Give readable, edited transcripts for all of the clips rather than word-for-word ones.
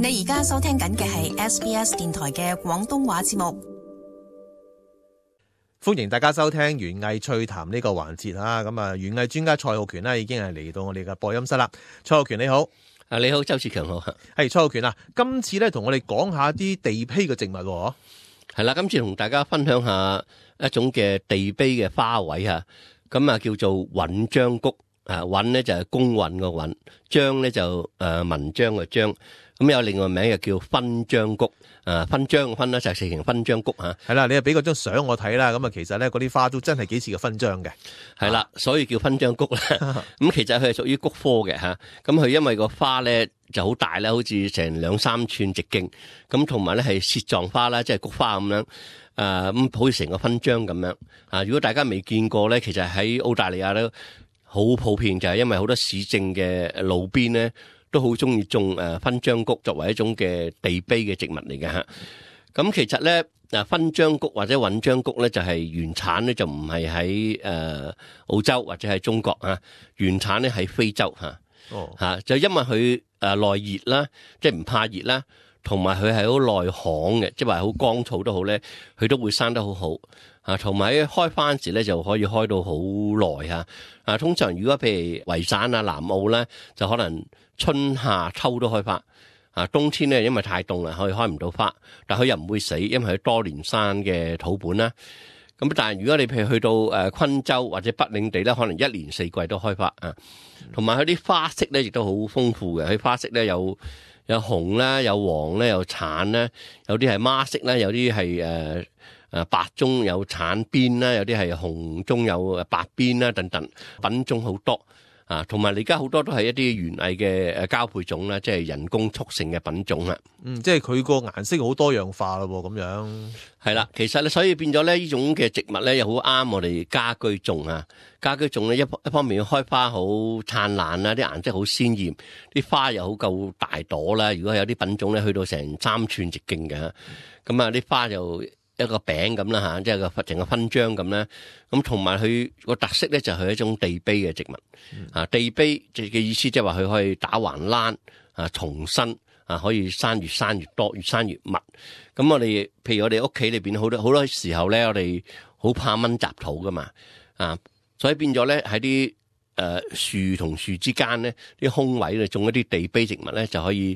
你而家收聽緊嘅係 SBS 電台嘅廣東話節目。歡迎大家收聽園藝趣談呢個環節啊！咁啊，園藝專家蔡浩權呢已經係嚟到我哋嘅播音室啦。蔡浩權你好。你好，周志強好。係蔡浩權啊，今次咧同我哋講下啲地披嘅植物。係啦，今次同大家分享下一種嘅地披嘅花卉啊，咁啊叫做韻章菊啊，韻咧就係公韻個韻，章咧就文章嘅章，咁有另外名又叫勳章菊。勳章嘅勳咧就係寫成勳章菊吓。係啦，你又俾嗰張相我睇啦，咁啊其實咧嗰啲花都真係幾似個勳章嘅。係啦，所以叫勳章菊啦。咁其實佢係屬於菊科嘅吓，咁佢因為個花咧就好大啦，好似成2-3寸直徑，咁同埋咧係屑狀花啦，即係菊花咁樣。咁好似成個勳章咁樣啊！如果大家未見過咧，其實喺澳大利亞咧好普遍，就係因為好多市政嘅路邊咧都好中意種勳章菊作為一種嘅地披嘅植物嚟嘅吓。咁其實咧勳章菊或者韻章菊咧就係原產咧就唔係喺澳洲或者係中國啊，原產咧喺非洲吓。就因為佢耐熱啦，即係唔怕熱啦。同埋佢係好耐旱嘅，即係話好乾燥都好咧，佢都會生得好好啊。同埋開花時咧就可以開到好耐啊。通常如果譬如維省啊、南澳咧，就可能春夏秋都開花啊。冬天咧因為太凍啦，可以開唔到花，但佢又唔會死，因為佢多年生嘅土本啦。咁但係如果你譬如去到昆州或者北領地咧，可能一年四季都開花啊。同埋佢啲花色咧亦都好豐富嘅，佢花色咧有紅啦，有黃咧，有橙啦，有啲係孖色啦，有啲係白中有橙邊啦，有啲係紅中有白邊啦，等等，品種好多啊。同埋而家好多都係一啲園藝嘅交配種啦，即係人工促成嘅品種啊。即係佢個顏色好多樣化咯，咁樣。係啦，其實咧，所以變咗咧，呢種嘅植物咧，又好啱我哋家居種啊。家居種咧，一方面要開花好燦爛啦，啲顏色好鮮豔，啲花又好夠大朵啦。如果有啲品種咧，去到成3寸直徑嘅，咁啊啲花就一個餅咁啦吓，即係個成個勳章咁啦。咁同埋佢個特色咧，就係一種地披嘅植物啊。地披嘅意思即係話佢可以打橫欄啊，重生。可以生越多，越生越密。咁我哋，譬如我哋屋企裏邊好多時候咧，我哋好怕蚊雜土噶嘛，所以變咗咧喺啲樹同樹之間咧，啲空位咧種一啲地披植物咧，就可以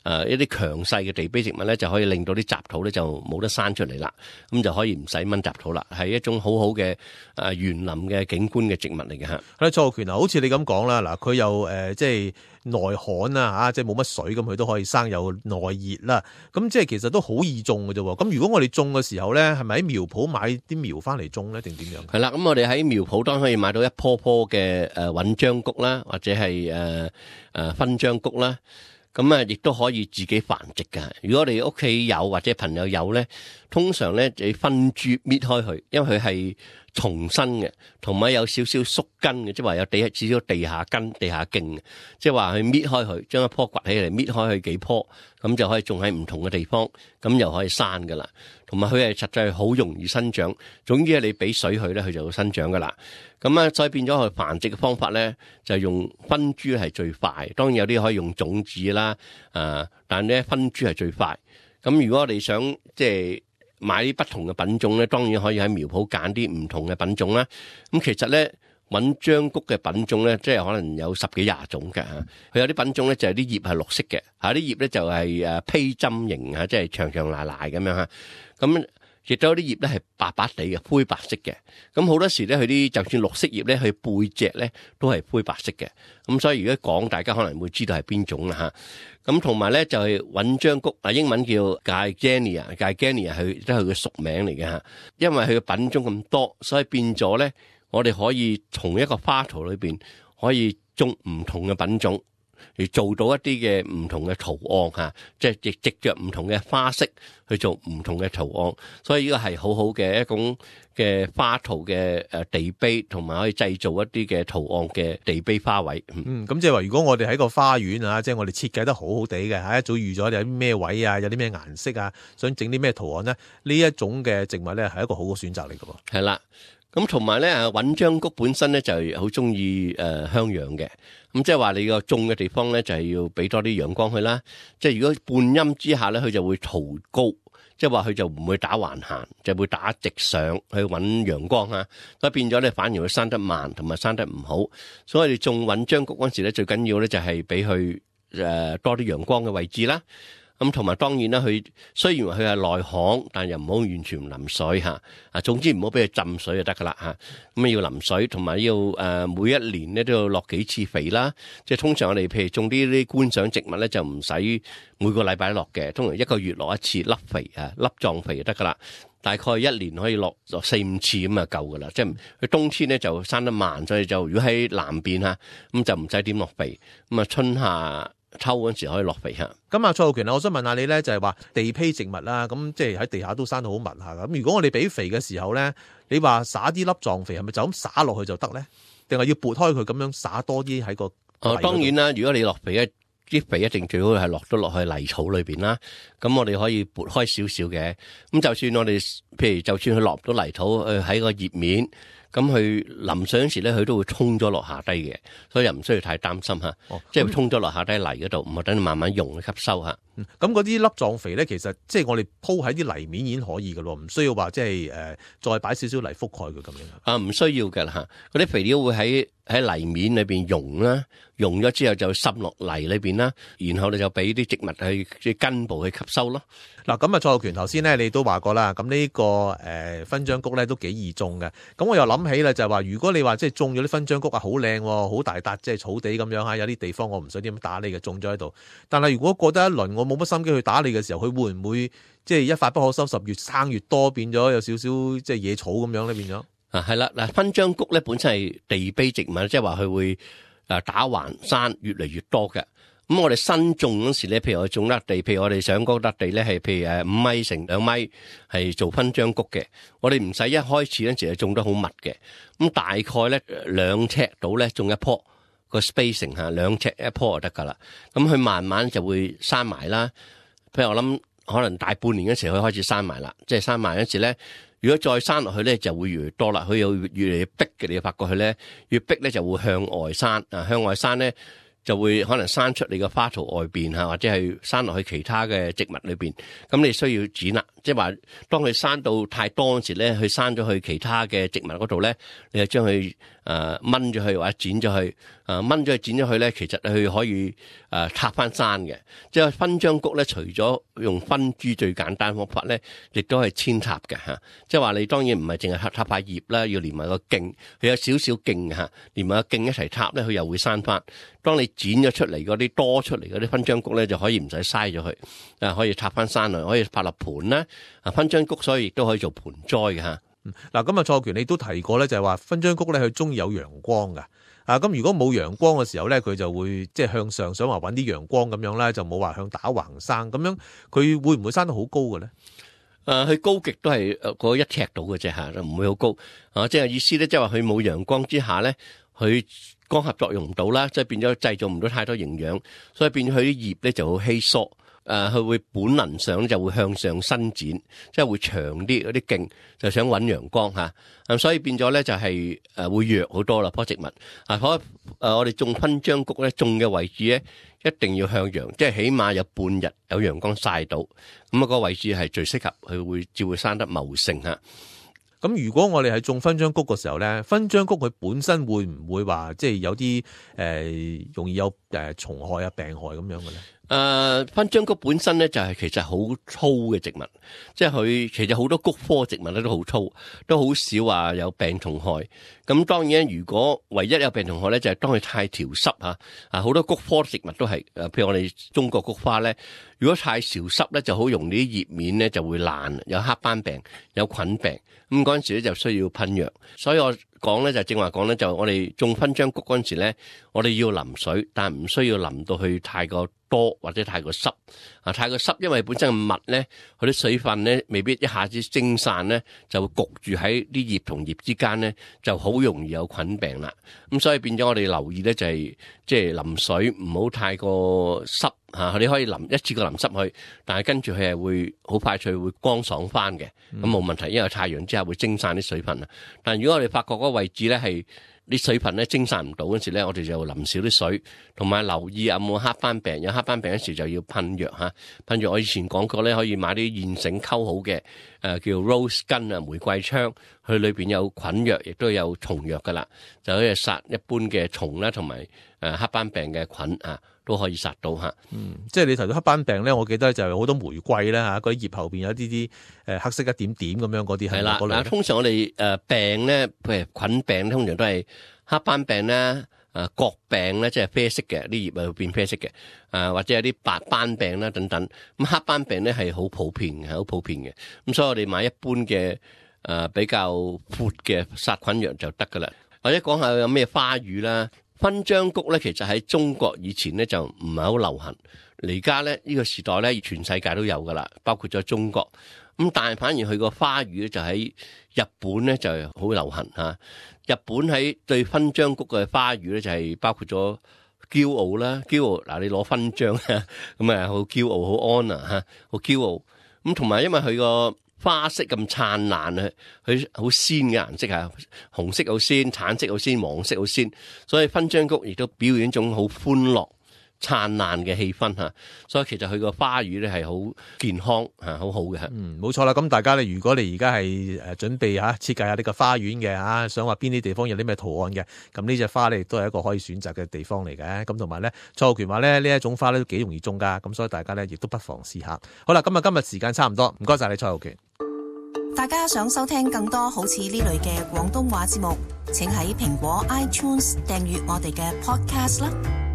一啲強勢嘅地披植物咧，就可以令到啲雜土咧就冇得生出嚟啦。咁就可以唔使蚊雜土啦，係一種好好嘅園林嘅景觀嘅植物嚟嘅吓。蔡浩權啊，好似你咁講啦，嗱佢又即係耐旱啊，即係冇乜水咁，佢都可以生，有耐熱啦。咁即係其實都好易種嘅啫。咁如果我哋種嘅時候咧，係咪喺苗圃買啲苗翻嚟種咧，定點樣？係啦，咁我哋喺苗圃當然可以買到一棵棵嘅韻章菊啦，或者係勳章菊啦。咁啊，亦都可以自己繁殖噶。如果我哋屋企有或者朋友有咧，通常咧就分株搣開佢，因為佢係重生嘅，同埋有少少縮根嘅，即係話有少少地下根、地下莖嘅，即係話佢搣開佢，將一棵掘起嚟，搣開佢幾棵，咁就可以種喺唔同嘅地方，咁又可以生噶啦。同埋佢係實際好容易生長，總之係你俾水佢咧，佢就會生長噶啦。咁啊，所以變咗佢繁殖嘅方法咧，就係用分株係最快。當然有啲可以用種子啦，但係咧分株係最快。咁如果我哋想即係買啲不同嘅品種咧，當然可以喺苗圃揀啲唔同嘅品種啦。咁其實咧，韻章菊嘅品種咧，即係可能有10幾20種嘅。佢有啲品種咧就係啲葉係綠色嘅，啲葉咧就係披針形啊，即係長長賴賴咁樣嚇。咁亦都有啲葉咧係白白地嘅，灰白色嘅。咁好多時咧，佢啲就算綠色葉咧，佢背脊咧都係灰白色嘅。咁所以如果講，大家可能會知道係邊種啦嚇。咁同埋咧就係韻章菊，英文叫 Gardenia 佢都係佢嘅屬名嚟嘅嚇。因為佢嘅品種咁多，所以變咗咧，我哋可以從一個花圖裏邊可以種唔同嘅品種。而做到一啲嘅唔同嘅圖案嚇，即係藉着唔同嘅花色去做唔同嘅圖案，所以呢個係好好嘅一種嘅花圖嘅地披，同埋可以製造一啲嘅圖案嘅地披花卉。咁即係話，如果我哋喺個花園啊，即係我哋設計得好好地嘅嚇，一早預咗有啲咩位啊，有啲咩顏色啊，想整啲咩圖案咧，呢一種嘅植物咧係一個好嘅選擇嚟嘅喎。係啦。咁同埋咧搵章菊本身咧就係好中意向陽嘅，咁即係話你個種嘅地方咧就係要俾多啲陽光佢啦。即係如果半陰之下咧，佢就會圖高，即係話佢就唔會打橫行，就會打直上去搵陽光啊。所以變咗咧反而會生得慢，同埋生得唔好。所以你種搵章菊嗰陣時咧，最緊要咧就係俾佢多啲陽光嘅位置啦。咁同埋當然啦，佢雖然話佢係內行，但又唔好完全唔淋水嚇。總之唔好俾佢浸水就得噶啦嚇。咁要淋水，同埋要每一年咧都要落幾次肥啦。即係通常我哋譬如種啲觀賞植物咧，就唔使每個禮拜落嘅，通常一個月落一次粒肥粒狀肥就得噶啦。大概一年可以落4-5次咁就夠噶啦。即係佢冬天咧就生得慢，所以就如果喺南邊嚇咁就唔使點落肥。咁春夏秋嗰陣時可以落肥嚇。咁啊，蔡浩權啊，我想問下你咧，就係話地披植物啦，咁即係喺地下都生得好密下噶。咁如果我哋俾肥嘅時候咧，你話撒啲粒狀肥係咪就咁撒落去就得咧？定係要撥開佢咁樣撒多啲喺個？當然啦，如果你落肥咧，啲肥一定最好係落咗落去泥草裏邊啦。咁我哋可以撥開少少嘅。咁就算我哋譬如就算佢落唔到泥土，喺個葉面。咁佢淋水嗰時咧，佢都會沖咗落下低嘅，所以又唔需要太擔心嚇。即係沖咗落下低泥嗰度，唔係等你慢慢用吸收嚇。咁嗰啲粒狀肥咧，其實即係我哋鋪喺啲泥面已經可以嘅咯，唔需要話即係再擺少少泥覆蓋佢咁樣。唔需要嘅啦嚇。嗰啲肥料會喺泥面裏邊溶啦，溶咗之後就滲落泥裏邊啦，然後你就俾啲植物去即係根部去吸收咯。嗱，咁啊，蔡浩權頭先咧，你都話過啦，咁呢個勳章菊咧都幾易種嘅。咁我又諗起啦，就係話如果你話即係種咗啲勳章菊啊，好靚喎，好大笪，即係草地咁樣嚇，有啲地方我唔想點打理嘅，種咗喺度。但係如果過得一輪，我冇乜心機去打理嘅時候，佢會唔會即係一發不可收拾，越生越多，變咗有少少即係野草咁樣咧變咗？係啦，嗱，勳章菊咧本身係地卑植物，即係話佢會打橫生越嚟越多嘅。咁我哋新種嗰時咧，譬如我種粒地，譬如我哋想嗰粒地咧係譬如5米乘2米係做勳章菊嘅，我哋唔使一開始嗰陣時係種得好密嘅，咁大概咧2尺到咧種一棵個 spacing 嚇2尺一棵就得噶啦，咁佢慢慢就會生埋啦。譬如我諗可能大半年嗰時佢開始生埋啦，即係生埋嗰時咧，如果再生落去咧就會越嚟越多啦，佢又越嚟越逼嘅，你要發覺佢咧越逼咧就會向外生向外生咧。就會可能生出你個花槽外邊或者係生落去其他嘅植物裏邊，咁你需要剪啦。即係話，當佢生到太多嗰時咧，佢生咗去其他嘅植物嗰度咧，你就將佢掹咗去或者剪咗去，掹咗去剪咗去咧，其實佢可以插翻生嘅。即係勳章菊咧，除咗用分株最簡單方法咧，亦都係扦插嘅嚇。即係話你當然唔係淨係插塊葉啦，要連埋個莖，佢有少少莖嚇，連埋個莖一齊插咧，佢又會生翻。當你剪咗出嚟嗰啲多出嚟嗰啲勳章菊咧，就可以唔使嘥咗佢，可以插翻生嚟，可以拍落盆啦。勳章菊所以亦都可以做盆栽嘅嚇。嗱，咁啊，蔡浩權你都提過咧，就係話勳章菊咧，佢中意有陽光㗎。咁如果冇陽光嘅時候咧，佢就會即係向上，想話揾啲陽光咁樣啦，就冇話向打橫生。咁樣佢會唔會生得好高嘅咧？佢高極都係嗰1尺到嘅啫嚇，就唔會好高。即係意思咧，即係話佢冇陽光之下咧，佢光合作用唔到啦，即係變咗製造唔到太多營養，所以變咗佢啲葉咧就好稀疏。佢會本能上就會向上伸展，即係會長啲嗰啲莖，就想揾陽光嚇。所以變咗咧就係會弱好多啦，棵植物。我哋種勳章菊咧，種嘅位置咧一定要向陽，即係起碼有半日有陽光曬到，咁個位置係最適合，佢至會生得茂盛嚇。咁如果我哋係種勳章菊嘅時候咧，勳章菊佢本身會唔會話即係有啲容易有蟲害啊、病害咁樣嘅咧？勳章菊本身咧就係其實好粗嘅植物，即係佢其實好多菊科植物咧都好粗，都好少話有病蟲害。咁當然如果唯一有病蟲害咧就係當佢太潮濕嚇，好多菊科植物都係譬如我哋中國菊花咧，如果太潮濕咧就好容易啲葉面咧就會爛，有黑斑病、有菌病。咁嗰陣時咧就需要噴藥。所以我講咧就正話講咧，就我哋種勳章菊嗰陣時咧，我哋要淋水，但係唔需要淋到去太過多或者太過濕。太過濕，因為本身嘅蜜咧，佢啲水分咧未必一下子蒸散咧，就會焗住喺啲葉同葉之間咧，就好容易有菌病啦。咁所以變咗我哋留意咧就係即係淋水唔好太過濕你可以淋一次過淋濕佢，但係跟住佢係會好快脆會乾爽翻嘅，咁冇問題，因為太陽之下會蒸散啲水分啊。但係如果我哋發覺嗰個位置咧係啲水分咧蒸散唔到嗰時咧，我哋就淋少啲水，同埋留意有冇黑斑病。有黑斑病嗰時就要噴藥嚇，噴藥我以前講過咧，可以買啲現成溝好嘅叫 rose 根啊，玫瑰槍，佢裏邊有菌藥，亦都有蟲藥噶啦，就可以殺一般嘅蟲啦，同埋黑斑病嘅菌啊，都可以殺到嚇。即係你提到黑斑病咧，我記得就係好多玫瑰啦嚇，嗰啲葉後邊有啲黑色一點點咁樣嗰啲係啦。嗱，通常我哋病咧，譬如菌病，通常都係黑斑病啦。角病咧，即係啡色嘅，啲葉會變啡色嘅，或者有啲白斑病啦等等。咁黑斑病咧係好普遍嘅，好普遍嘅。咁所以我哋買一般嘅比較闊嘅殺菌藥就得噶啦。或者講下有咩花語啦，勳章菊咧，其實喺中國以前咧就唔係好流行，而家咧呢個時代咧全世界都有噶啦，包括咗中國。咁但係反而佢個花語咧就喺日本咧就係好流行嚇。日本喺對勳章菊嘅花語咧就係包括咗驕傲啦，驕傲嗱，你攞勳章咁啊好驕傲，好 honor 嚇，好驕傲。咁同埋因為佢個花色咁燦爛啊，佢好鮮嘅顏色啊，紅色好鮮，橙色好鮮，黃色好鮮，所以勳章菊亦都表現一種好歡樂燦爛嘅氣氛嚇，所以其實佢個花語咧係好健康嚇，好好嘅嚇。冇錯啦。咁大家咧，如果你而家係準備設計下呢個花園嘅想話邊啲地方有啲咩圖案嘅，咁呢隻花咧亦都係一個可以選擇嘅地方嚟嘅。咁同埋咧，蔡浩權話咧呢一種花咧都幾容易種噶，咁所以大家咧亦都不妨試下。好啦，今日時間差唔多，唔該晒你蔡浩權。大家想收聽更多好似呢類嘅廣東話節目，請喺蘋果 iTunes 訂閱我哋嘅 podcast 啦。